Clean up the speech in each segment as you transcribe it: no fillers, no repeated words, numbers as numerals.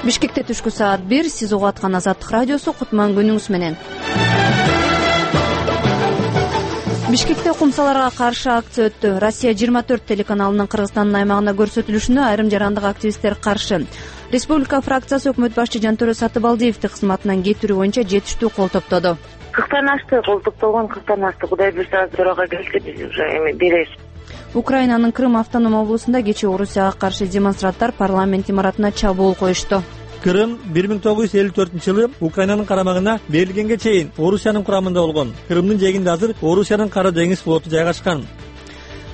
Бишкекте түшкү саат 1. Сиз угуп аткан Азаттык радиосу. Кутман күнүңүз менен. Бишкекте кумсаларга каршы акция өттү. Россия 24 телеканалынын Кыргызстандын аймагында көрсөтүлүшүнө айрым жарандык активисттер каршы. Республика фракциясы өкмөт башчы Жантөрө Сатыбалдиевди кызматынан кетирүү боюнча жетиштүү кол топтоду. 40 ашты, кол топтолгон 40 ашты. Кудай буйрса төрага келишти, биз уже эми беребиз. Украинанын Крым автоном облусунда кечээ Орусияга каршы демонстранттар парламент имаратына чабуул коюшту. Крым 1954-жылы Украинанын карамагына берилгенге чейин Орусиянын курамында болгон. Крымдын жээгинде азыр Орусиянын Кара деңиз флоту жайгашкан.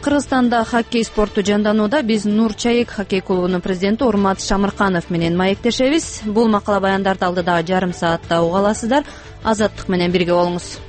Кыргызстанда хоккей спорту жанданууда. Биз Нур Чайык хоккей клубунун президенти Урмат Шамырканов менен маектешебиз. Бул макала баяндарды алдыдагы жарым саатта уга аласыздар. Азаттык менен бирге болуңуз.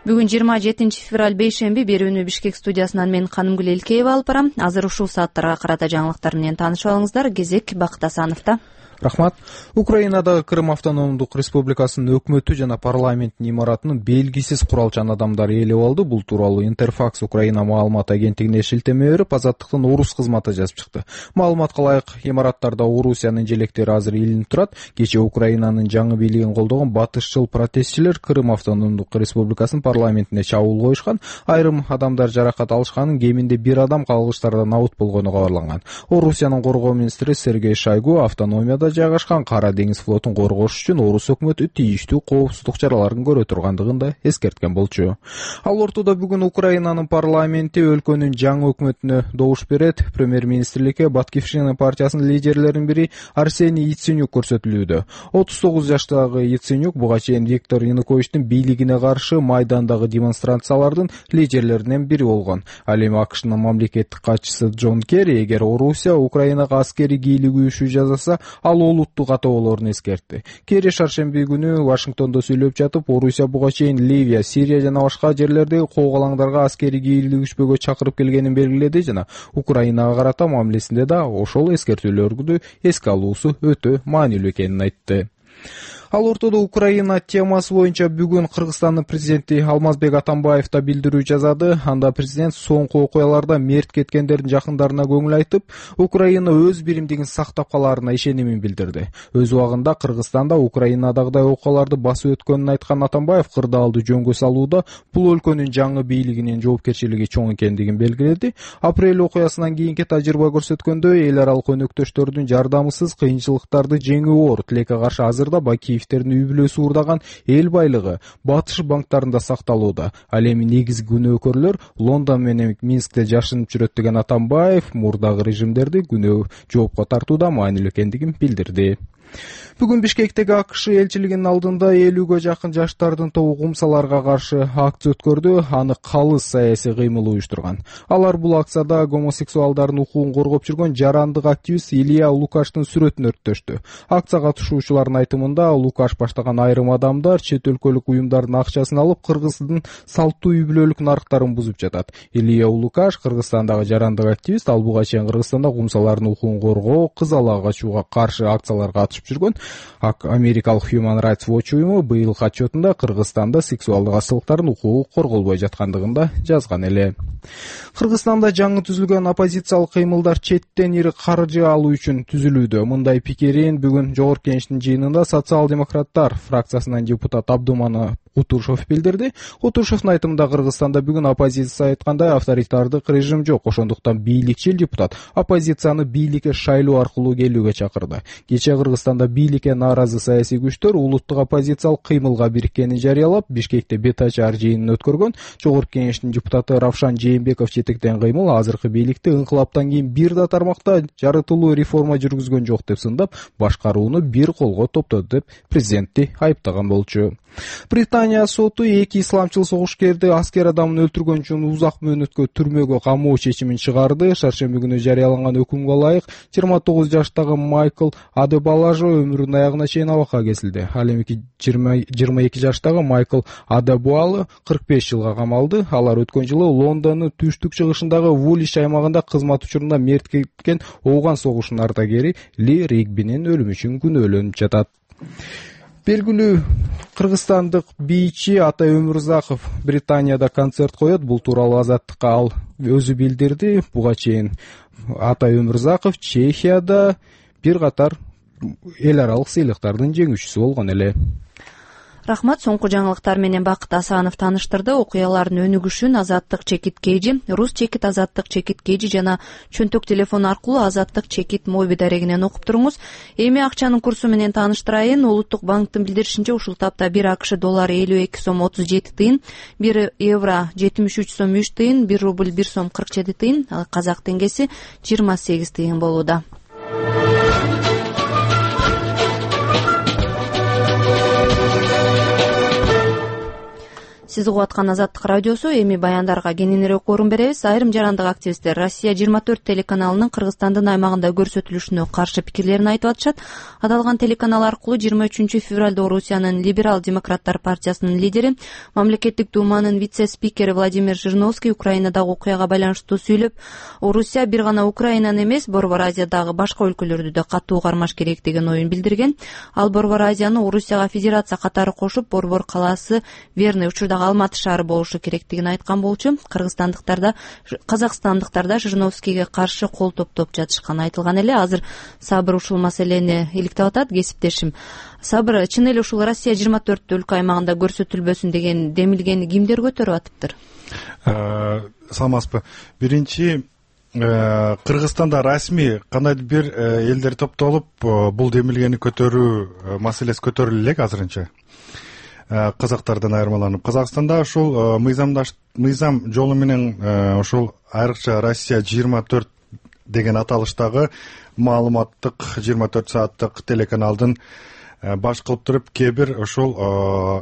Бүгүн 27 февраль бейшемби. Берүүнү Бишкек студиясынан мен Канымгүл Элкеева алып барам. Азыр ушул сааттарга карата жаңылыктар менен таанышып алыңыздар. Кезек Бакыт Асановдо. Рахмат. Украинадагы Крым автономдук республикасынын өкмөтү жана парламенттин имаратынын белгисиз куралчан адамдары ээлеп алды. Бул тууралуу Интерфакс Украина маалымат агенттигине шилтеме берип, Азаттыктын орус кызматы жазып чыкты. Маалыматка ылайык, имараттарда Орусиянын желектери азыр илинип турат. Кечээ Украинанын жаңы бийлигин колдогон батышчыл протестчилер Крым автономдук республикасынын парламентине чабуул коюшкан. Айрым адамдар жаракат алышканын, кеминде 1 адам калгычтардан абут болгону кабарланган. Орусиянын коргоо министри Сергей Шойгу автономияда жайгашкан Кара деңиз флотун коргош үчүн орус өкмөтү тийиштүү коопсуздук чараларын көрө тургандыгын да эскерткен болчу. Ал ортодо бүгүн Украинанын парламенти өлкөнүн жаңы өкмөтүнө добуш берет. Премьер-министрликке Батькивщина партиясынын лидерлеринин бири Арсений Яценюк көрсөтүлүүдө. 39 жаштагы Яценюк буга чейин Виктор Януковичтин бийлигине каршы Майдандагы демонстрациялардын лидерлеринен бири болгон. Ал эми АКШнын мамлекеттик катчысы Джон Керри эгер Орусия Украинага аскерий кийлигүүшү жасаса, ал олуттук катуу болоорун эскертти. Керри шаршемби күнү Вашингтондо сүйлөп жатып, Орусия буга чейин Ливия, Сирия жана башка жерлердеги коогалаңдарга аскерий кийлигишпөөгө чакырып келгенин белгиледи жана Украинага карата мамилесинде да ошол эскертүүлөрдү эске алуусу өтө маанилүү экенин айтты. Ал ортодо Украина темасы боюнча бүгүн Кыргызстандын президенти Алмазбек Атамбаев да билдирүү жазады. Анда президент соңку окуяларда мерт кеткендердин жакындарына көңүл айтып, Украина өз биримдигин сактап калаарына ишенимин билдирди. Өз убагында Кыргызстанда Украинадагыдай окуяларды басып өткөнүн айткан Атамбаев кырдаалды жөнгө салууда бул өлкөнүн жаңы бийлигинин жоопкерчилиги чоң экендигин белгиледи. Апрель окуясынан кийинки тажрыйба көрсөткөндөй, эл аралык өнөктөштөрдүн жардамысыз кыйынчылыктарды жеңүү оор тилекке каршы азырда Бакиевдин үй бүлөсү уурдаган эл байлыгы батыш банктарында сакталууда. Ал эми негизги күнөөкөрлөр Лондон менен Минскте жашынып жүрөт деген Атамбаев мурдагы режимдерди күнөө жоопко тартууда маанилүү экендигин билдирди. Бүгүн Бишкектеги АКШ элчилигинин алдында 50ге жакын жаштардын тобу кумсаларга каршы акция өткөрдү. Аны калыс саясий кыймыл уюштурган. Алар бул акцияда гомосексуалдардын укугун коргоп жүргөн жарандык активист Илья Лукаштын сүрөтүн өрттөштү. Акция катышуучуларынын айтымында Лукаш баштаган айрым адамдар чет өлкөлүк уюмдардын акчасын алып Кыргыздын салттуу үй бүлөлүк нарыктарын бузуп жатат. Илья Лукаш Кыргызстандагы жарандык активист, ал буга чейин Кыргызстанда кумсалардын укугун коргоо, кыз ала качууга каршы акцияларга катышып жүргөн. Америкалык Human Rights Watch уюму быйылкы отчетунда Кыргызстанда сексуалдык ачылыктардын укугу корголбой жаткандыгын да жазган эле. Кыргызстанда жаңы түзүлгөн оппозициялык кыймылдар четтен ири каржы алуу үчүн түзүлүүдө. Мындай пикирин бүгүн Жогорку Кеңештин жыйынында социал-демократтар фракциясынан депутат Абдуман Кутушев билдирди. Кутушевдун айтымында Кыргызстанда бүгүн оппозиция айткандай авторитардык режим жок. Ошондуктан бийликчил депутат оппозицияны бийликке шайлоо аркылуу келүүгө чакырды. Кечээ Кыргызстанда бийликке нааразы саясий күчтөр улуттук оппозициялык кыймылга бириккенин жарыялап, Бишкекте бетачар жыйынын өткөргөн. Жогорку Кеңештин депутаты Равшан Жээнбеков жетектеген кыймыл азыркы бийликти инкылаптан кийин бир да тармакта жарытылуу реформа жүргүзгөн жок деп сындап, башкарууну бир колго топтоду деп президентти айыптаган болчу. Британия соту эки исламчыл согушкерди аскер адамын өлтүргөн үчүн узак мөөнөткө түрмөгө камоо чечимин чыгарды. Шаршемби күнү жарыяланган өкүмгө ылайык 29 жаштагы Майкл Адебалажо өмүрүнүн аягына чейин абакка кесилди. Ал эми 22 жаштагы Майкл Адебуалы 45 жылга камалды. Алар өткөн жылы Лондондун түштүк чыгышындагы Вулиш аймагында кызмат учурунда мерт кеткен Ооган согушунун ардагери Ли Ригбинин өлүмү үчүн күнөөлөнүп жатат. Белгилүү кыргызстандык бийчи Атай Өмүрзаков Британияда концерт коет. Бул тууралуу Азаттыкка ал өзү билдирди. Буга чейин Атай Өмүрзаков Чехияда бир катар эл аралык сыйлыктардын жеңүүчүсү болгон эле. Рахмат. Соңку жаңылыктар менен Бакыт Асанов тааныштырды. Окуялардын өнүгүшүн Азаттык чекит кейжи, Рус чекит Азаттык чекит кейжи жана чөнтөк телефон аркылуу Азаттык чекит моби дарегинен окуп туруңуз. Эми акчанын курсу менен тааныштырайын. Улуттук банктын билдиришинче ушул тапта 1 АКШ доллары 52 сом 37 тыйын, 1 евро 73 сом 3 тыйын, 1 рубль 1 сом 47 тыйын, ал казак теңгеси 28 тыйын болууда. Сиз угуп аткан Азаттык радиосу. Эми баяндарга кененирээк орун беребиз. Айрым жарандык активисттер Россия 24 телеканалынын Кыргызстандын аймагында көрсөтүлүшүнө каршы пикирлерин айтып атышат. Аталган телеканал аркылуу 23 февралда Орусиянын Либерал демократтар партиясынын лидери, мамлекеттик думанын вице-спикери Владимир Жириновский Украинадагы окуяга байланыштуу сүйлөп, Орусия бир гана Украинаны эмес, Борбор Азиядагы башка өлкөлөрдү да катуу кармаш керек деген оюн билдирген. Ал Борбор Азияны Орусияга федерация катары кошуп, Борбор калаасы Верный учурдагы Алматы шаары болушу керектигин айткан болчу. Кыргызстандыктарда, казакстандыктарда Жириновскийге каршы кол топтоп жатышканы айтылган эле. Азыр Сабыр ушул маселени иликтеп атат. Кесиптешим Сабыр, чын эле ушул Россия 24 өлкө аймагында көрсөтүлбөсүн деген демилгени кимдер көтөрүп атыптыр? Саламатсызбы. Биринчи, Кыргызстанда расмий кандайдыр бир элдер топтолуп бул демилгени көтөрүү маселеси көтөрүлө элек азырынча. Казактардан айырмаланып, Казакстанда ушул мыйзам жолу менен ушул айрыкча Россия 24 деген аталыштагы маалыматтык 24 сааттык телеканалдын баш кылып туруп кээ бир ушул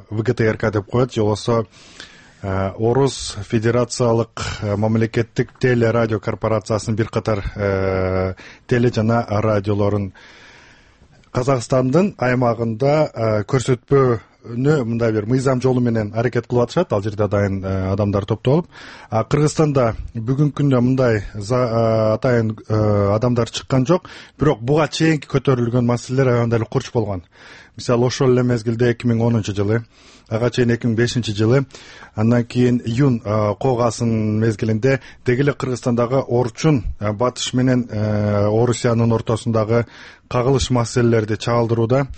ВГТРК деп коет, же болбосо Орус Федерациялык мамлекеттик телерадио корпорациясынын бир катар теле жана радиолорун Казакстандын аймагында көрсөтпөө мындай бир мыйзам жолу менен аракет кылып атышат. Ал жерде дайын адамдар топтолуп. Кыргызстанда бүгүнкү күндө мындай атайын адамдар чыккан жок. Бирок буга чейинки көтөрүлгөн маселелер аябай эле курч болгон. Мисалы, ошол эле мезгилде 2010 жылы, ага чейин 2005 жылы, андан кийин июнь коогасын мезгилинде деги эле Кыргызстандагы Орчун батыш менен Орусиянын ортосундагы кагылыш маселелерди чагылдырууда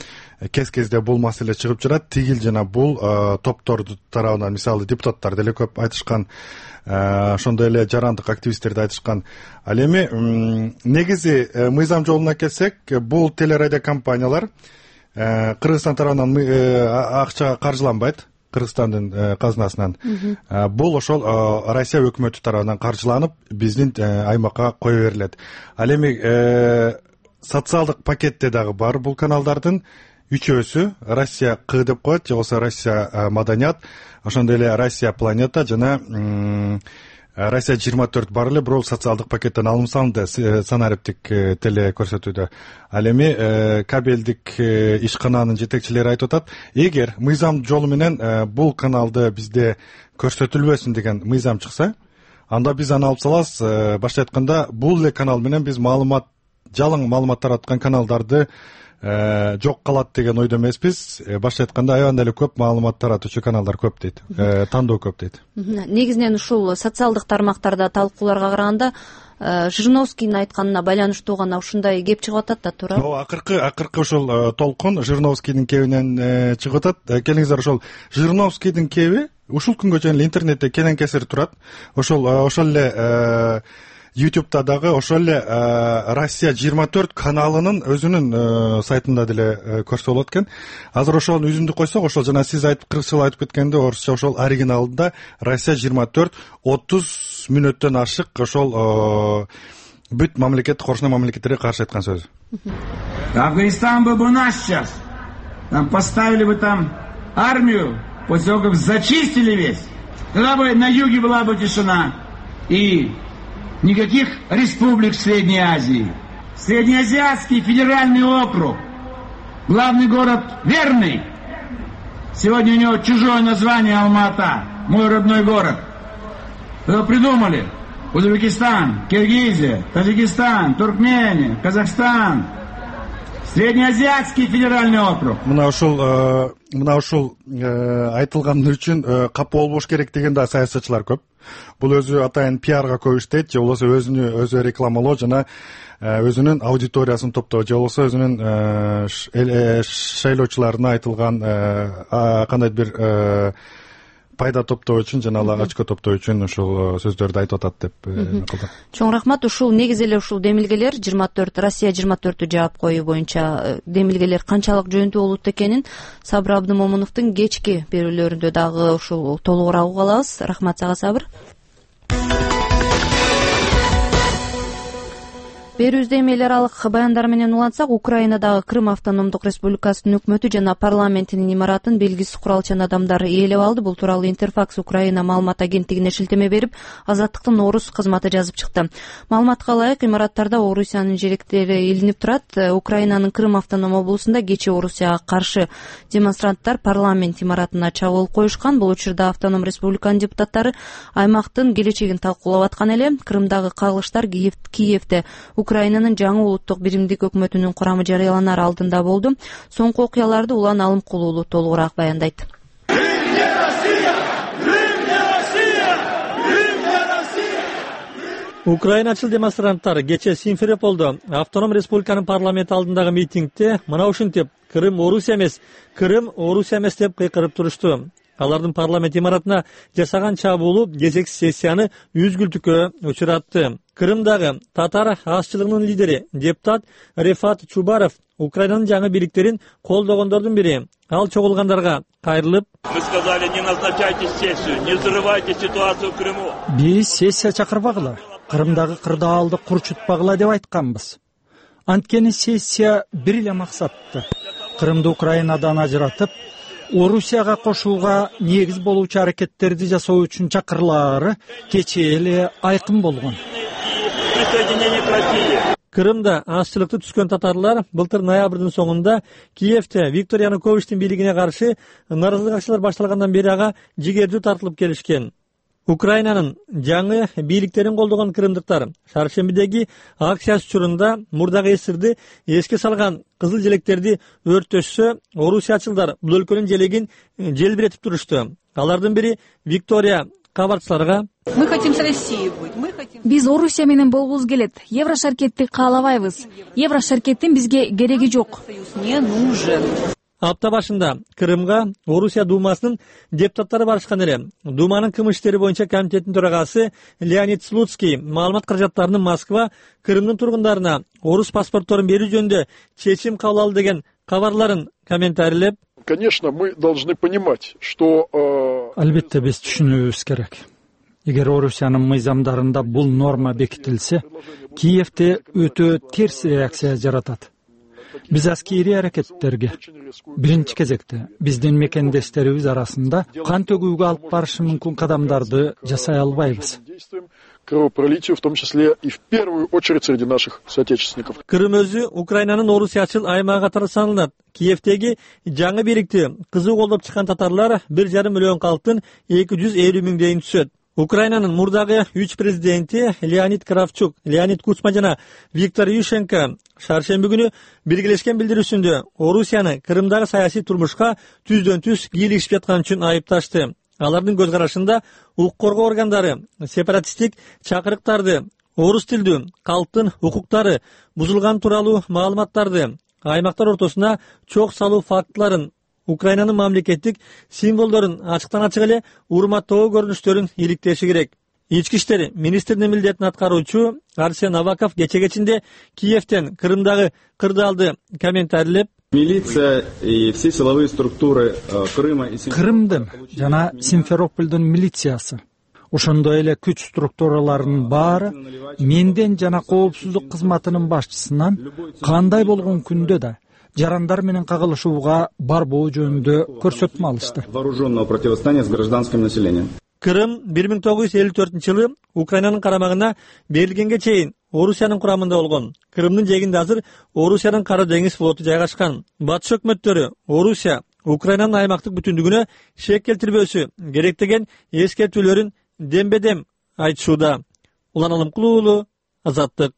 кез-кезде бул маселе чыгып турат. Тигил жана бул топтордун тарабынан, мисалы, депутаттар деле көп айтышкан, ошондой эле жарандык активисттер да айтышкан. Ал эми негизи мыйзам жолуна келсек, бул телерадио компаниялар Кыргызстан тарабынан акча каржыланбайт, Кыргызстандын казынасынан. Бул ошол Россия өкмөтү тарабынан каржыланып, биздин аймакка кое берилет. Ал эми социалдык пакетте дагы бар бул каналдардын үчөөсү Россия К деп коет, же болбосо Россия Маданият, ошондой эле Россия Планета жана Россия 24 бар эле, бирок социалдык пакеттен алым салынды санариптик теле көрсөтүүдө. Ал эми кабелдик ишкананын жетекчилери айтып атат, эгер мыйзам жолу менен бул каналды бизде көрсөтүлбөсүн деген мыйзам чыкса, анда биз аны алып салабыз. Башка айтканда, бул эле канал менен биз жалаң маалымат тараткан каналдарды жок калат деген ойдо эмеспиз. Башка айтканда, аябай эле көп маалымат таратуучу каналдар көп дейт, тандоо көп дейт. Негизинен ушул социалдык тармактарда талкууларга караганда Жириновскийдин айтканына байланыштуу гана ушундай кеп чыгып атат да, туура? Акыркы ушул толкун Жириновскийдин кебинен чыгып атат. Келиңиздер, ошол Жириновскийдин кеби ушул күнгө чейин интернетте кенен кесир турат. Ошол эле YouTube'да дагы ошол эле Россия 24 каналынын өзүнүн сайтында деле көрсө болот экен. Азыр ошонун үзүндү койсок, ошол жана сиз кыргызча айтып кеткенде, орусча ошол оригиналында Россия 24 30 мүнөттөн ашык ошол бүт мамлекет, коршуна мамлекеттерге каршы айткан сөз. Афганистан был бы наш сейчас. Там поставили бы там армию, после того, как зачистили весь. Тогда бы на юге была бы тишина. И никаких республик в Средней Азии. Среднеазиатский федеральный округ. Главный город Верный. Сегодня у него чужое название Алма-Ата. Мой родной город. Его придумали. Узбекистан, Киргизия, Таджикистан, Туркмения, Казахстан. Среднеазиатский федеральный округ. Мына ушул айтылган үчүн капа болбош керек деген да саясатчылар көп. Бул өзү атайын пиарга көп иштейт, же болбосо өзү рекламалоо жана өзүнүн аудиториясын топтоо, же болбосо өзүнүн шайлоочуларына айтылган кандайдыр бир пайда топтоо үчүн жана очко топтоо үчүн ушул сөздөрдү айтып атат деп кылды. Чоң рахмат. Ушул негизи эле ушул демилгелер 24 Россия 24 жаап коюу боюнча демилгелер канчалык жөнүндүү болот экенин Сабыр Абдымомуновдун кечки берүүлөрүндө дагы ушул толугураак уга алабыз. Рахмат сага, Сабыр. Берүүбүздө эми эл аралык баяндар менен улантсак, Украинадагы Крым автономдук республикасынын өкмөтү жана парламентинин имаратын белгисиз куралчан адамдар ээлеп алды. Бул тууралуу Интерфакс Украина маалымат агенттигине шилтеме берип, Азаттыктын орус кызматы жазып чыкты. Маалыматка ылайык, имараттарда Орусиянын жеректери илинип турат. Украинанын Крым автоном облусунда кечээ Орусияга каршы демонстранттар парламент имаратына чабуул коюшкан. Бул учурда автоном республиканын депутаттары аймактын келечегин талкуулап аткан эле. Крымдагы кагылыштар Киевде Украинанын жаңы улуттук биримдик өкмөтүнүн курамы жарыяланар алдында болду. Соңку окуяларды Улан Алымкулуулу толугураак баяндайт. Украиначыл демонстранттар кечээ Симферополдо автоном республиканын парламенти алдындагы митингде мына ушинтип Крым Орусия эмес деп кыйкырып турушту. Алардын парламент имаратына жасаган чабуулу кезексиз сессияны үзгүлтүккө учуратты. Крымдагы татар азчылыгынын лидери депутат Рефат Чубаров Украинанын жаңы бийликтерин колдогондордун бири. Ал чогулгандарга кайрылып: Мы сказали, не назначайте сессию, не взрывайте ситуацию в Крыму. Биз сессия чакырбагыла, Крымдагы кырдаалды курчутпагыла деп айтканбыз. Анткени сессия бир эле максатты: Крымды Украинадан ажыратып, Орусияга кошууга негиз болуучу аракеттерди жасоо үчүн чакырылаары кечээ эле айкын болгон. Крымда азчылыкты түскөн татарлар былтыр ноябрдын соңунда Киевде Виктор Януковичтин бийлигине каршы нааразылык акциялар башталгандан бери ага жигердүү тартылып келишкен. Украинанын жаңы бийликтерин колдогон крымдыктар шаршембидеги акциясы учурунда мурдагы эсирди эске салган кызыл желектерди өрттөшсө, орусиячылдар бул өлкөнүн желегин желбиретип турушту. Алардын бири Виктория кабарчыларга: Мы хотим с Россией быть. Биз Орусия менен болгубуз келет. Еврошаркетти каалабайбыз. Еврошаркеттин бизге кереги жок. Не нужен. Апта башында Крымга Орусия Думасынын депутаттары барышкан эле. Думанын кылмыш иштери боюнча комитетинин төрагасы Леонид Слуцкий маалымат каражаттарынын Москва Крымдын тургундарына орус паспортторун берүү жөнүндө чечим кабыл алды деген кабарларын комментарийлеп: Конечно, мы должны понимать, что... Албетте биз түшүнүүбүз керек. Эгер Орусиянын мыйзамдарында бул норма бекитилсе, Киевде өтө терс реакция жаратат. Биз аскери аракеттерге биринчи кезекте биздин мекендештерибиз арасында кан төгүүгө алып барышы мүмкүн кадамдарды жасай албайбыз. Кровопролитию, в том числе и в первую очередь среди наших соотечественников. Крым өзү Украинанын орусиячыл аймагы катары саналат. Киевдеги жаңы бийликти кызуу колдоп чыккан татарлар 1,5 миллион калктын 250 миңдейин түшөт. Украинанын мурдагы 3 президенти Леонид Кравчук, Леонид Кучма жана Виктор Ющенко шаршемби күнү биргелешкен билдирүүсүндө Орусияны Крымдагы саясий турмушка түздөн-түз кийлигишип жаткан үчүн айыпташты. Алардын көз карашында укук коргоо органдары сепаратисттик чакырыктарды, орус тилдүү калктын укуктары бузулган тууралуу маалыматтарды, аймактар ортосуна чок салуу фактыларын, Украинанын мамлекеттик символдорун ачыктан-ачык эле урматтоо көрүнүштөрүн иликтеши керек. Ички иштер министринин милдетин аткаруучу Арсен Аваков кече кечинде Киевден Крымдагы кырдаалды комментарийлеп: Милиция и все силовые структуры Крыма и Крымдын жана Симферопольдун милициясы, ошондой эле күч структураларынын баары менден жана коопсуздук кызматынын башчысынан кандай болгон күндө да жарандар менен кагылышууга барбоо жөнүндө көрсөтмө алышты. Вооруженного противостояния с гражданским населением. Крым 1954-жылы Украинанын карамагына берилгенге чейин Орусиянын курамында болгон. Крымдын жээгинде азыр Орусиянын Кара деңиз флоту жайгашкан. Батыш өкмөттөрү Орусия Украинанын аймактык бүтүндүгүнө шек келтирбөөсү керек деген эскертүүлөрүн дембедем айтышууда. Улан Алымкулуулу, Азаттык.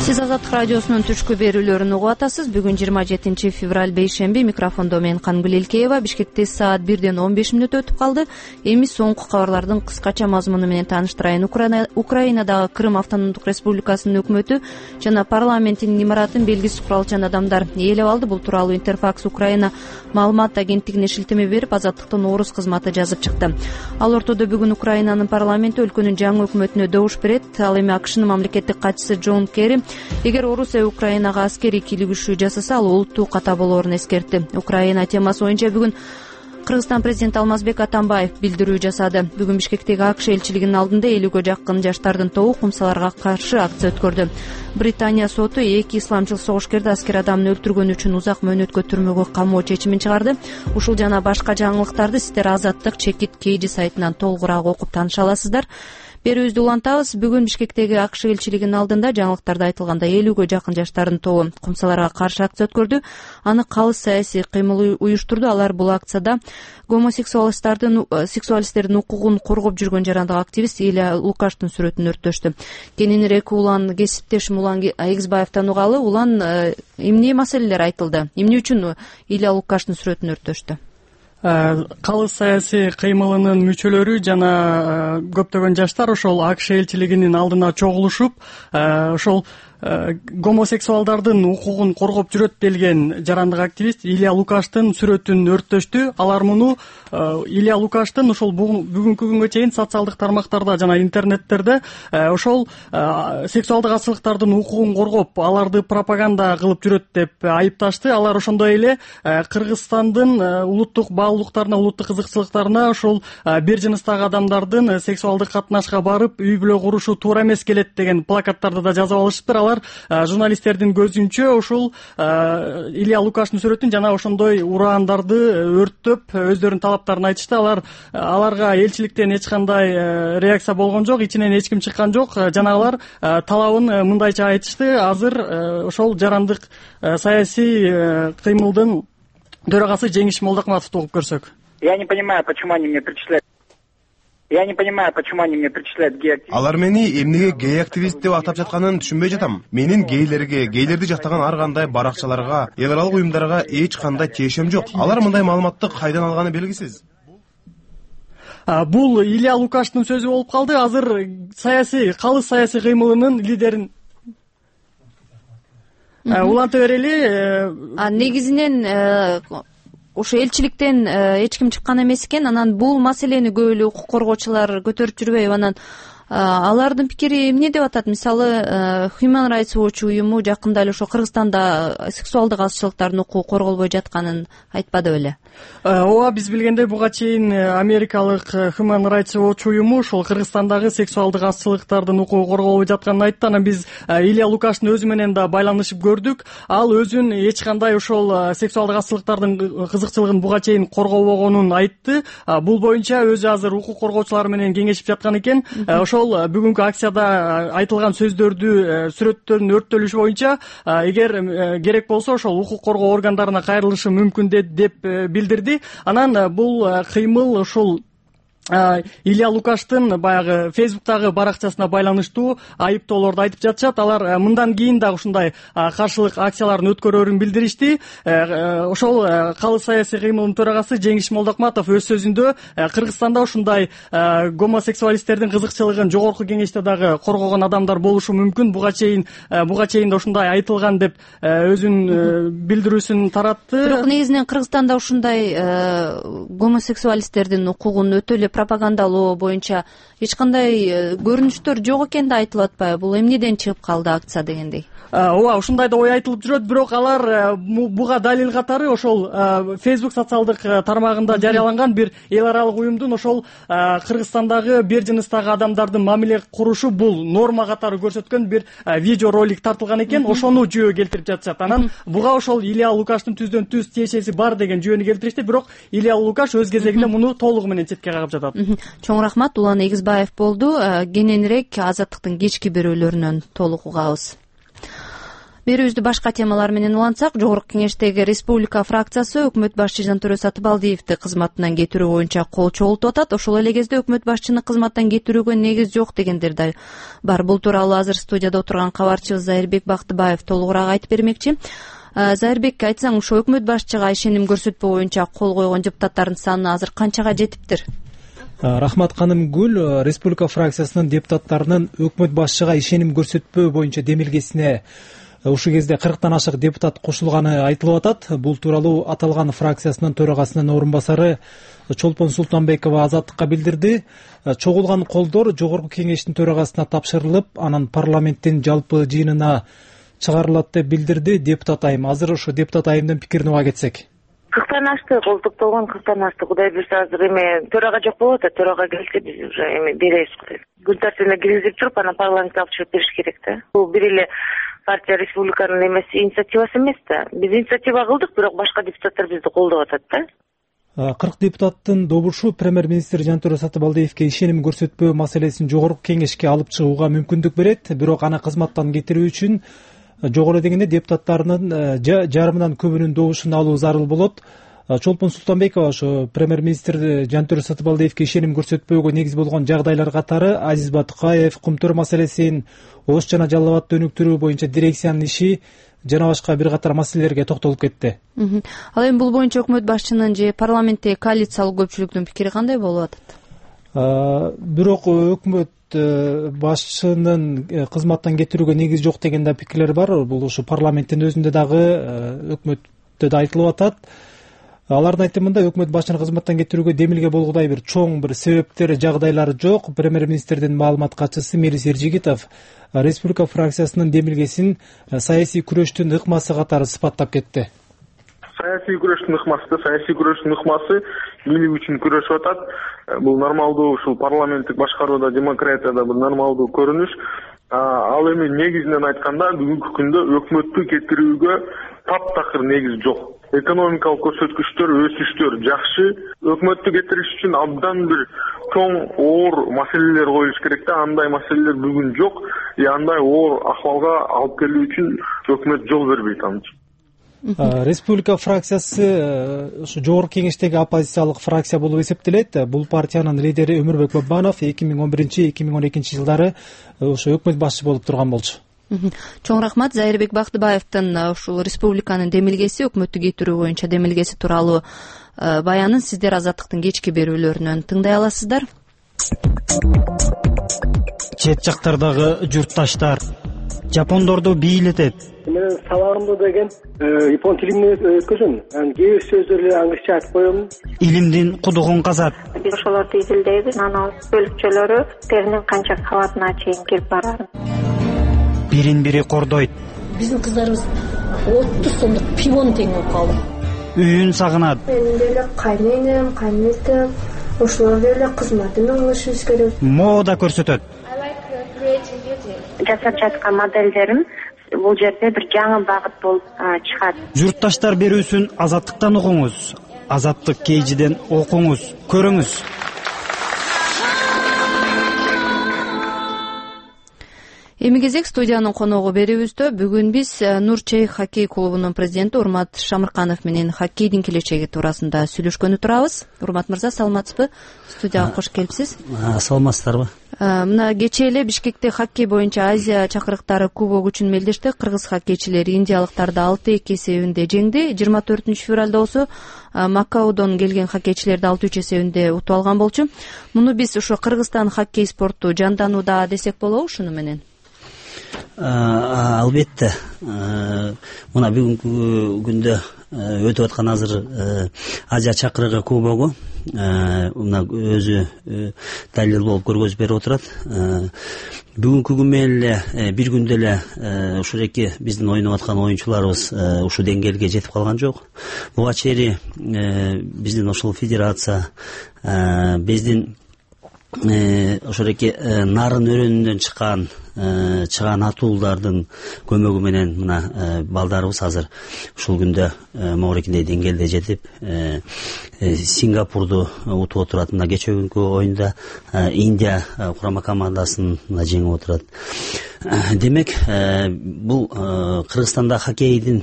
Сиз Азаттык радиосунун түшкү берүүлөрүн угуп атасыз. Бүгүн 27 февраль бейшемби. Микрофондо мен Кангүл Элкеева. Бишкекте саат 1:15 өтүп калды. Эми соңку кабарлардын кыскача мазмуну менен тааныштырайын. Украинадагы Крым автономдук республикасынын өкмөтү жана парламенттин имаратын белгисиз куралчан адамдар ээлеп алды. Бул тууралуу Интерфакс Украина маалымат агенттигине шилтеме берип, Азаттыктын орус кызматы жазып чыкты. Ал ортодо бүгүн Украинанын парламенти өлкөнүн жаңы өкмөтүнө добуш берет. Ал эми АКШнын мамлекеттик катчысы Джон Керри эгер Орусия Украинага аскерий кийлигишүү жасаса, ал улуттуу ката болоорун эскертти. Украина темасы боюнча бүгүн Кыргызстан президенти Алмазбек Атамбаев билдирүү жасады. Бүгүн Бишкектеги АКШ элчилигинин алдында 50ге жакын жаштардын тобу кумсаларга каршы акция өткөрдү. Британия соту 2 исламчыл согушкерди аскер адамды өлтүргөнү үчүн узак мөөнөткө түрмөгө камоо чечимин чыгарды. Ушул жана башка жаңылыктарды сиздер Азаттык чекит KG сайтынан толугураак окуп тааныша аласыздар. Берүүбүздү улантабыз. Бүгүн Бишкектеги АКШ элчилигинин алдында жаңылыктарда айтылгандай 50ге жакын жаштардын тобу кумсаларга каршы акция өткөрдү. Аны калыс саясий кыймыл уюштурду. Алар бул акцияда сексуалисттердин укугун коргоп жүргөн жарандык активист Илья Лукаштын сүрөтүн өрттөштү. Кененирээк Улан кесиптешим Улан Эгизбаевден угалы, Улан эмне маселелер айтылды? Эмне үчүн Илья Лукаштын сүрөтүн өрттөштү? Калыс саясий кыймылынын мүчөлөрү жана көптөгөн жаштар ошол АКШ элчилигинин алдына чогулушуп, ошол гомосексуалдардын укугун коргоп жүрөт делген жарандык активист Илья Лукаштын сүрөтүн өрттөштү. Алар муну Илья Лукаштын ошол бүгүнкү күнгө чейин социалдык тармактарда жана интернеттерде ошол сексуалдык ачылыктардын укугун коргоп, аларды пропаганда кылып жүрөт деп айыпташты. Алар ошондой эле Кыргызстандын улуттук баалуулуктарына, улуттук кызыкчылыктарына ошол бир жыныстагы адамдардын сексуалдык катнашка барып, үй бүлө курушу туура эмес келет деген плакаттарды да жазып алышыптыр. Алар журналисттердин көзүнчө ушул Илья Лукаштын сүрөтүн жана ошондой ураандарды өрттөп, өздөрүнүн талаптарын айтышты. Аларга элчиликтен эч кандай реакция болгон жок, ичинен эч ким чыккан жок. Жана алар талабын мындайча айтышты. Азыр ошол жарандык саясий кыймылдын төрагасы Жеңиш Молдокматовду угуп көрсөк. Я не понимаю, почему они мне причисляют гей-активист. Алар мени эмнеге гей-активист деп атап жатканын түшүнбөй жатам. Менин гейлерди жактаган ар кандай баракчаларга, эл аралык уюмдарга эч кандай тиешем жок. Алар мындай маалыматты кайдан алганы белгисиз. Бул Илья Лукаштын сөзү болуп калды. Азыр калыс саясий кыймылынын лидерин уланта берели. Негизинен ошо элчиликтен эч ким чыккан эмес экен. Анан бул маселени көп эле укук коргоочулар көтөрүп жүрбөйбү? Анан алардын пикири эмне деп атат? Мисалы, Human Rights Watch уюму жакында эле ошо Кыргызстанда сексуалдык азчылыктардын укугу корголбой жатканын айтпады беле? Ооба, биз билгендей буга чейин америкалык Human Rights Watch уюму ошол Кыргызстандагы сексуалдык азчылыктардын укугу корголбой жатканын айтты. Анан биз Илья Лукаштын өзү менен да байланышып көрдүк. Ал өзүн эч кандай ошол сексуалдык азчылыктардын кызыкчылыгын буга чейин коргобогонун айтты. Бул боюнча өзү азыр укук коргоочулар менен кеңешип жаткан экен. Ошол бүгүнкү акцияда айтылган сөздөрдү, сүрөттөрдүн өрттөлүшү боюнча эгер керек болсо ошол укук коргоо органдарына кайрылышы мүмкүн деп билдирди. Анан бул кыймыл ушул Илья Лукаштын баягы Фейсбуктагы баракчасына байланыштуу айыптоолорду айтып жатышат. Алар мындан кийин да ушундай каршылык акцияларын өткөрөрүн билдиришти. Ошол калыс саясий кыймылдын төрагасы Жеңиш Молдокматов өз сөзүндө Кыргызстанда ушундай гомосексуалисттердин кызыкчылыгын жогорку кеңеште дагы коргогон адамдар болушу мүмкүн. Буга чейин да ушундай айтылган деп өзүнүн билдирүүсүн таратты. Бирок негизинен Кыргызстанда ушундай гомосексуалисттердин укугун өтө эле пропагандалоо боюнча эч кандай көрүнүштөр жок экен да айтылып атпайбы? Бул эмнеден чыгып калды акция дегендей? Ооба, ушундай да ой айтылып жүрөт. Бирок алар буга далил катары ошол Facebook социалдык тармагында жарыяланган бир эл аралык уюмдун ошол Кыргызстандагы бир жыныстагы адамдардын мамиле курушу бул норма катары көрсөткөн бир видео ролик тартылган экен. Ошону жүйө келтирип жатышат. Анан буга ошол Илья Лукаштын түздөн түз тиешеси бар деген жүйөнү келтиришти. Бирок Илья Лукаш өз кезегинде муну толугу менен четке кагып жатат. Чоң рахмат. Улан Эгизбаев болду. Кененирээк Азаттыктын кечки берүүлөрүнөн толук угабыз. берүүбүздү башка темалар менен улантсак, жогорку кеңештеги республика фракциясы өкмөт башчы Жантөрө Сатыбалдиевди кызматынан кетирүү боюнча кол чогултуп атат. Ошол эле кезде өкмөт башчыны кызматтан кетирүүгө негиз жок дегендер да бар. Бул тууралуу азыр студияда отурган кабарчыбыз Зайырбек Бактыбаев толугураак айтып бермекчи. Зайырбек, айтсаң, ушу өкмөт башчыга ишеним көрсөтпөө боюнча кол койгон депутаттардын саны азыр канчага жетиптир? Рахмат ханым Гүл, республика фракциясынын депутаттарынын өкмөт башчыга ишеним көрсөтпөө боюнча демилгесине ушул кезде 40тан ашык депутат кошулганы айтылып атат. Бул тууралуу аталган фракциясынын төрагасынын орун басары Чолпон Султанбекова Азаттыкка билдирди. Чогулган колдор жогорку кеңештин төрагасына тапшырылып, анан парламенттин жалпы жыйынына чыгарылат деп билдирди депутат айым. Азыр ошо депутат айымдын пикирин уга кетсек. 40тан ашты, колтуктолгон 40тан ашты. Кудай буйрса азыр эме төрага жок болуп атат. Төрага келсе биз уже эме беребиз. Күн тартибине киргизип туруп, анан парламентке алып чыгып бериш керек да. Бул бир эле партия республиканын эмеси, инициативасы эмес да. Биз инициатива кылдык, бирок башка депутаттар бизди колдоп атат да. 40 депутаттын добушу премьер-министр Жантөрө Сатыбалдиевке ишеним көрсөтпөө маселесин жогорку кеңешке алып чыгууга мүмкүндүк берет. Бирок аны кызматтан кетирүү үчүн жогору дегенде депутаттарынын жарымынан көбүнүн добушун алуу зарыл болот. Чолпон Султанбекова ошо премьер-министр Жантөрө Сатыбалдиевке ишеним көрсөтпөөгө негиз болгон жагдайлар катары Азиз Батыкаев, Кумтөр маселесин, Ош жана Жалал абадты өнүктүрүү боюнча дирекциянын иши жана башка бир катар маселелерге токтолуп кетти. Ал эми бул боюнча өкмөт башчынын же парламенттеги коалициялык көпчүлүктүн пикири кандай болуп атат? Бирок өкмөт башчынын кызматтан кетирүүгө негиз жок деген да пикирлер бар. Бул ушу парламенттин өзүндө дагы өкмөттө да айтылып атат. Алардын айтымында өкмөт башчынын кызматтан кетирүүгө демилге болгудай бир чоң бир себептер, жагдайлар жок. Премьер-министрдин маалымат катчысы Мирис Эржигитов республика фракциясынын демилгесин саясий күрөштүн ыкмасы катары сыпаттап кетти. Саясий күрөштүн ыкмасы бийлик үчүн күрөшүп атат. Бул нормалдуу, ушул парламенттик башкарууда, демократияда бир нормалдуу көрүнүш. Ал эми негизинен айтканда бүгүнкү күндө өкмөттү кетирүүгө таптакыр негиз жок. Экономикалык көрсөткүчтөр, өсүштөр жакшы. Өкмөттү кетириш үчүн абдан бир чоң, оор маселелер коюлуш керек да. Андай маселелер бүгүн жок. Андай оор акыбалга алып келүү үчүн өкмөт жол бербейт аны. Республика фракциясы ушу жогорку кеңештеги оппозициялык фракция болуп эсептелет. Бул партиянын лидери Өмүрбек Бабанов 2011-2012 жылдары ушу өкмөт башчы болуп турган болчу. Чоң рахмат. Зайырбек Бактыбаевдин ушул республиканын демилгеси, өкмөттү кетирүү боюнча демилгеси тууралуу баянын сиздер Азаттыктын кечки берүүлөрүнөн тыңдай аласыздар. Чет жактардагы журтташтар жапондорду бийлетет. Мен сабагымды деген япон тилинде өткөзөм. Кээ бир сөздөрдү англисче айтып коем. Илимдин кудугун казат. Биз ошолорду изилдейбиз. Анан бөлүкчөлөрү теринин канча кабатына чейин кирип барат. Бирин-бири кордойт. Биздин кыздарыбыз 30 сомдук пивон тең болуп калды. Үйүн сагынат. Менин деле кайненем, кайненем, ошолор деле кызматын алышыбыз керек. Мода көрсөтөт. Жасап жаткан моделдерим бул жерде бир жаңы багыт болуп чыгат. Журтташтар берүүсүн Азаттыктан угуңуз. Азаттык кейжиден окуңуз, көрүңүз. Эми кезек студиянын коногу берүүбүздө. Бүгүн биз Нур Чейх хоккей клубунун президенти Урмат Шамырканов менен хоккейдин келечеги туурасында сүйлөшкөнү турабыз. Урмат мырза, саламатсызбы? Студияга кош келипсиз. Саламатсыздарбы? Мына кечээ эле Бишкекте хоккей боюнча Азия чакырыктары кубок үчүн мелдешти. Кыргыз хоккейчилери индиялыктарды 6-2 эсебинде жеңди. 24-февралда болсо Макаодон келген хоккейчилерди 6-3 эсебинде утуп алган болчу. Муну биз ошо Кыргызстан хоккей спорту жанданууда десек болобу ушуну менен? Албетте. Мына бүгүнкү күндө өтүп аткан азыр Азия чакырыгы кубогу мына өзү далил болуп көргөзүп берип отурат. Бүгүнкү күн менен эле бир күндө эле ушул эки биздин ойноп аткан оюнчуларыбыз ушул деңгээлге жетип калган жок. Буга чейин биздин ошол федерация биздин ошол эки нарын өрөөнүндөн чыган атуулардын көмөгү менен мына балдарыбыз азыр ушул күндө могорекиндей деңгээлде жетип Сингапурду утуп отурат. Мына кечээ күнкү оюнда Индия курама командасын жеңип отурат. Демек бул Кыргызстанда хоккейдин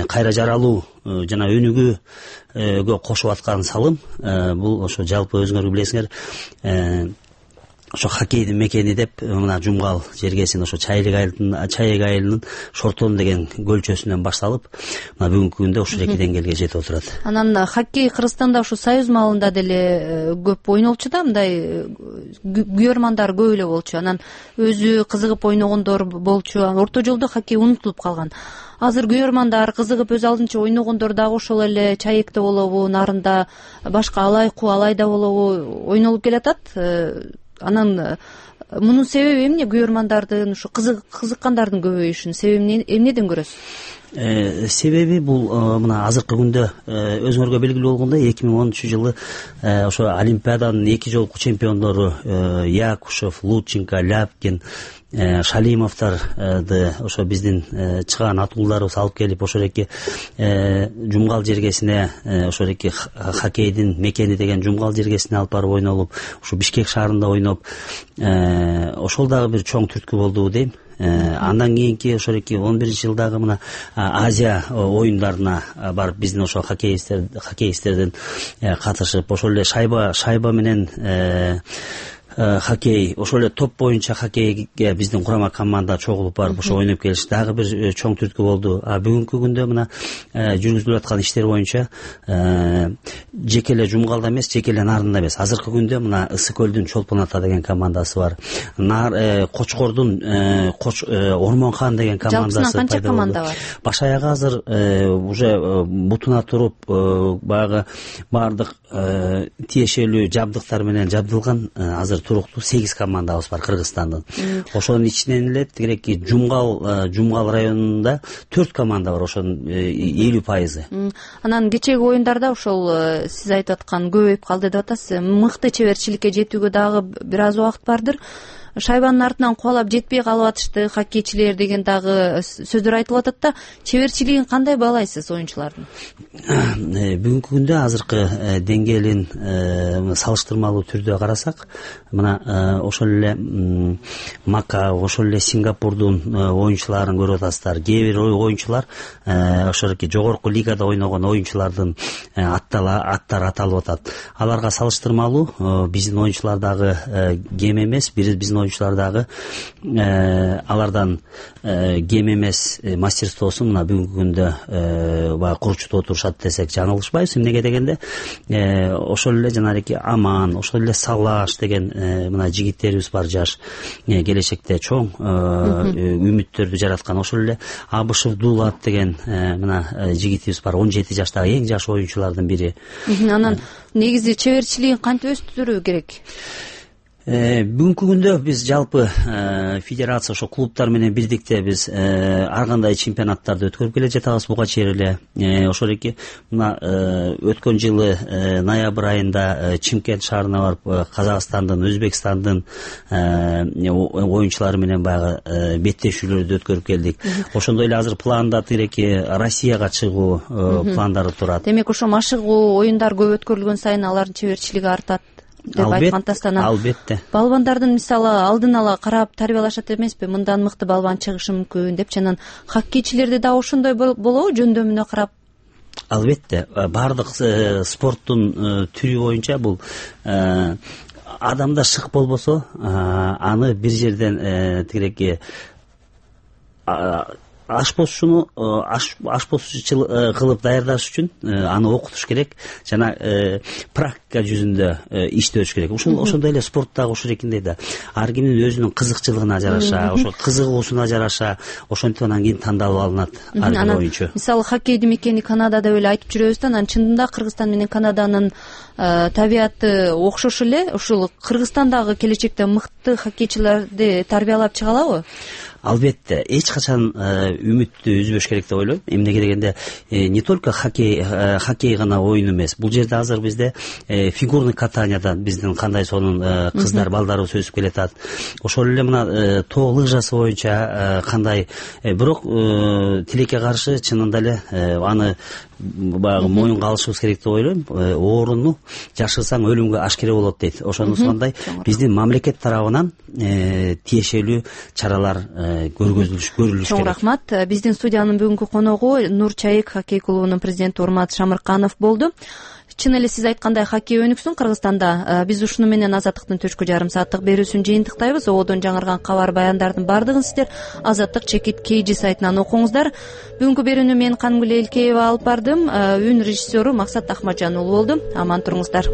кайра жаралуу жана өнүгүүгө кошуп аткан салым бул ошо жалпы өзүңөр билесиңер ошо хоккейдин мекени деп мына Жумгал жергесин ошо Чайек айылынын Шортон деген көлчөсүнөн башталып мына бүгүнкү күндө ушул эки деңгээлге жетип отурат. Анан хоккей Кыргызстанда ушу союз маалында деле көп ойнолчу да, мындай күйөрмандар көп эле болчу. Анан өзү кызыгып ойногондор болчу. Орто жолдо хоккей унутулуп калган. Азыр күйөрмандар кызыгып өз алдынча ойногондор дагы ошол эле Чаекте болобу, нарында башка Алайда болобу ойнолуп келатат. Анан мунун себеби эмне? Күйөрмандардын ушу кызыккандардын көбөйүшүнүн себебин эмнеден көрөсүз? Себеби бул мына азыркы күндө өзүңөргө белгилүү болгондой 2010 жылы ошо Олимпиаданын 2 жолку чемпиондору Якушев, Лученко, Ляпкин, Шалимовдорду ошо биздин чыган атуулдарыбыз алып келип ошол эки Жумгал жергесине ошол эки хоккейдин мекени деген Жумгал жергесине алып барып ойнолуп, ушу Бишкек шаарында ойноп, ошол дагы бир чоң түрткү болду дейм. Андан кийинки ошол 2011 жылдагы мына Азия оюндарына барып биздин ошол хоккеисттердин катышып, ошол эле шайба менен хоккей, ошол эле топ боюнча хоккейге биздин курама команда чогулуп барып ошо ойноп келиш дагы бир чоң түрткү болду. Бүгүнкү күндө мына жүргүзүлүп аткан иштер боюнча жеке эле Жумгалда эмес, жеке эле Нарында эмес, азыркы күндө мына Ысык көлдүн Чолпон ата деген командасы бар. Кочкордун Ормон хан деген командасы пайда болду. Баш аягы азыр уже бутуна туруп баягы баардык тиешелүү жабдыктар менен жабдылган азыр туруктуу 8 командабыз бар Кыргызстандын. Ошонун ичинен эле тигиреки Жумгал районунда 4 команда бар, ошонун 50%. Анан кечеги оюндарда ошол сиз айтып аткан көбөйүп калды деп атасыз. Мыкты чеберчиликке жетүүгө дагы бир аз убакыт бардыр. Шайбанын артынан кубалап жетпей калып атышты хоккейчилер деген дагы сөздөр айтылып атат да. Чеберчилигин кандай баалайсыз оюнчулардын? Бүгүнкү күндө азыркы деңгээлин салыштырмалуу түрдө карасак, мына ошол эле Макао, ошол эле Сингапурдун оюнчуларын көрүп атасыздар. Кээ бир оюнчулар ошол жогорку лигада ойногон оюнчулардын аттары аталып атат. Аларга салыштырмалуу биздин оюнчулар дагы кем эмес, биздин оюнчулар дагы алардан кем эмес мастерствосун мына бүгүнкү күндө баягы курчутуп отурушат десек жаңылышпайбыз. Эмнеге дегенде ошол эле жанагы Аман, ошол эле Салаш деген мына жигиттерибиз бар, жаш келечекте чоң үмүттөрдү жараткан. Ошол эле Абышев Дулат деген мына жигитибиз бар, 17 жаштагы эң жаш оюнчулардын бири. Анан негизи чеберчилигин кантип өстүрүү керек? Бүгүнкү күндө биз жалпы федерация ошо клубтар менен бирдикте биз ар кандай чемпионаттарды өткөрүп келе жатабыз буга чейин эле. Ошол эки мына өткөн жылы ноябрь айында Чимкент шаарына барып Казакстандын, Өзбекстандын оюнчулары менен баягы беттешүүлөрдү өткөрүп келдик. Ошондой эле азыр планда тиреки Россияга чыгуу пландары турат. Демек ошо машыгуу оюндар көп өткөрүлгөн сайын алардын чеберчилиги артат деп айткандастан, албетте балбандардын мисалы алдын ала карап тарбиялашат эмеспи? Мындан мыкты балбан чыгышы мүмкүн депчи. Анан хоккейчилерди да ошондой болобу, жөндөмүнө карап? Албетте, баардык спорттун түрү боюнча бул адамда шык болбосо аны бир жерден тигиреки ашпозчуну ашпозчу кылып даярдаш үчүн аны окутуш керек жана практика жүзүндө иштөөш керек. Ошондой эле спорттагы ушурекиндей да ар кимдин өзүнүн кызыкчылыгына жараша, ошо кызыгуусуна жараша ошентип анан кийин тандалып алынат ар бир оюнчу. Мисалы хоккейдин мекени Канада деп эле айтып жүрөбүз да, анан чындында Кыргызстан менен Канаданын табияты окшош эле. Ушул Кыргызстандагы келечекте мыкты хоккейчилерди тарбиялап чыга алабы? Албетте, эч качан үмүттү үзбөш керек деп ойлойм. Эмнеге дегенде не только хоккей гана оюн эмес. Бул жерде азыр бизде фигурный катаниядан биздин кандай сонун кыздар, балдарыбыз өсүп келатат. Ошол эле мына тоо лыжасы боюнча кандай, бирок тилекке каршы чынында эле аны баягы моюнга алышыбыз керек деп ойлойм. Ооруну жашырсаң өлүмгө ашкере болот дейт. Ошондой биздин мамлекет тарабынан тиешелүү чаралар көрүлүш керек. Чоң рахмат. Биздин студиянын бүгүнкү коногу Нур Чайык хоккей клубунун президенти Урмат Шамырканов болду. Чын эле сиз айткандай хоккей өнүксүн Кыргызстанда. Биз ушуну менен Азаттыктын төшкү жарым сааттык берүүсүн жыйынтыктайбыз. Ободон жаңырган кабар баяндардын баардыгын сиздер Азаттык чекит KG сайтынан окуңуздар. Бүгүнкү берүүнү мен Кангүл Элкеева алып бардым. Үн режиссеру Максат Ахматжан уулу болду. Аман туруңуздар.